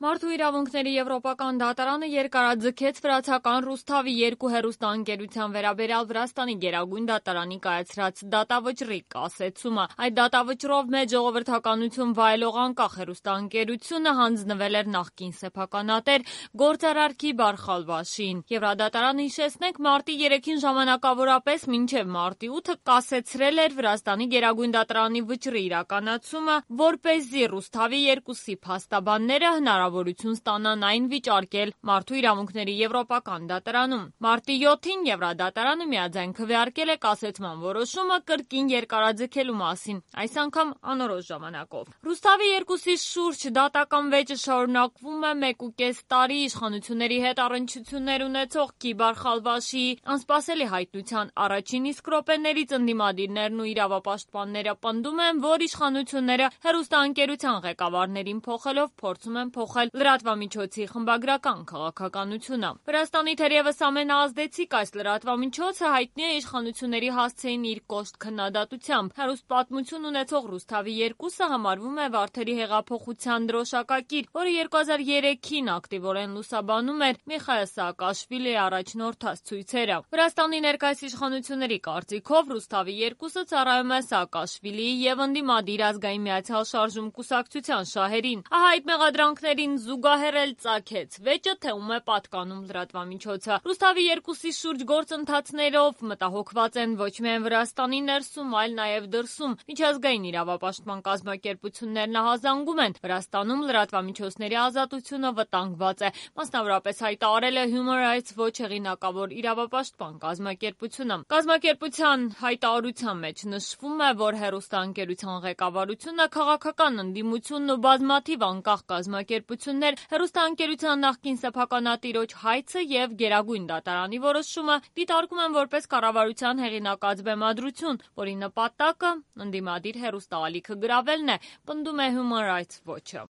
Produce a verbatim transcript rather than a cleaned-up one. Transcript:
Մարդու իրավունքների եվրոպական դատարանը երկարաձգեց վրացական Ռուսթավի երկու հեռուստաընկերության վերաբերյալ Վրաստանի գերագույն դատարանի կայացրած դատավճռի կասեցումը։ Այդ դատավճռով մեծ ժողովրդականություն վայելող անկախ հեռուստաընկերությունը հանձնվել էր նախկին սեփականատեր գործարար Քիբար Խալվաշիին։ Եվրադատարանը, հիշեցնենք, մարտի երեքին ժամանակավորապես մինչև մարտի ութը կասեցրել էր Վրաստանի գերագույն դատարանի վճռի իրականացումը, որպեսզի Ռուսթավի երկուսի փաստաբանները հնարավորություն ստանան այն վիճարկել Մարդու իրավունքների եվրոպական դատարանում։ Մարտի յոթին Եվրադատարանը միաձայն քվեարկել է կասեցման որոշումը կրկին երկարաձգելու մասին, այս անգամ անորոշ ժամանակով։ Ռուսթավի երկուսի շուրջ դատական վեճը շարունակվում է մեկուկես տարի իշխանությունների հետ առնչություններ ունեցող Քիբար Խալվաշիի անսպասելի հայտնության առաջին իսկ րոպեներից ընդդիմադիրներն ու իրավապաշտպանները պնդում են, որ իշխանությունները հեռուստաընկերության ղեկավարներին փոխելով փորձում են փոխել լրատվամիջոցի խմբագրական քաղաքականությունը։ Վրաստանի թերևս ամենաազդեցիկ այս լրատվամիջոցը հայտնի է իշխանությունների հասցեին իր կոշտ քննադատությամբ։ Հեռուստապատմություն ունեցող Ռուսթավի երկուսը համարվում է Վարդերի հեղափոխության դրոշակակիր, որը երկու հազար երեքին ակտիվորեն լուսաբանում էր Միխայիլ Սաակաշվիլիի առաջնորդած ցույցերը։ Վրաստանի ներկայիս իշխանությունների կարծիքով Ռուսթավի երկուսը ծառայում է Սաակաշվիլիի և ընդդիմադիր Ազգային միացյալ շարժում կուսակցության շահերին։ Ահա այդ մեղադրանքներին զուգահեռ էլ ծագեց վեճը, թե ում է պատկանում լրատվամիջոցը։ Ռուսթավի երկուսի շուրջ գործընթացներով մտահոգված են ոչ միայն Վրաստանի ներսում, այլ նաև դրսում։ Միջազգային իրավապաշտպան կազմակերպություններն ահազանգում են Վրաստանում լրատվամիջոցների ազատությունը վտանգված է, մասնավորապես հայտարարել է Human Rights Watch հեղինակավոր իրավապաշտպան կազմակերպությունը։ Կազմակերպության հայտարարության մեջ նշվում է, որ հեռուստաընկերության ղեկավարությունը, քաղաքական ընդդիմությունն ու բազմաթիվ անկախ կազմակերպություններ հեռուստաընկերության նախկին սեփականատիրոջ հայցը և գերագույն դատարանի որոշումը դիտարկում են որպես կառավարության հեղինակած բեմադրություն, որի նպատակը ընդդիմադիր հեռուստաալիքը գրավելն է, պնդում է Human Rights Watch-ը։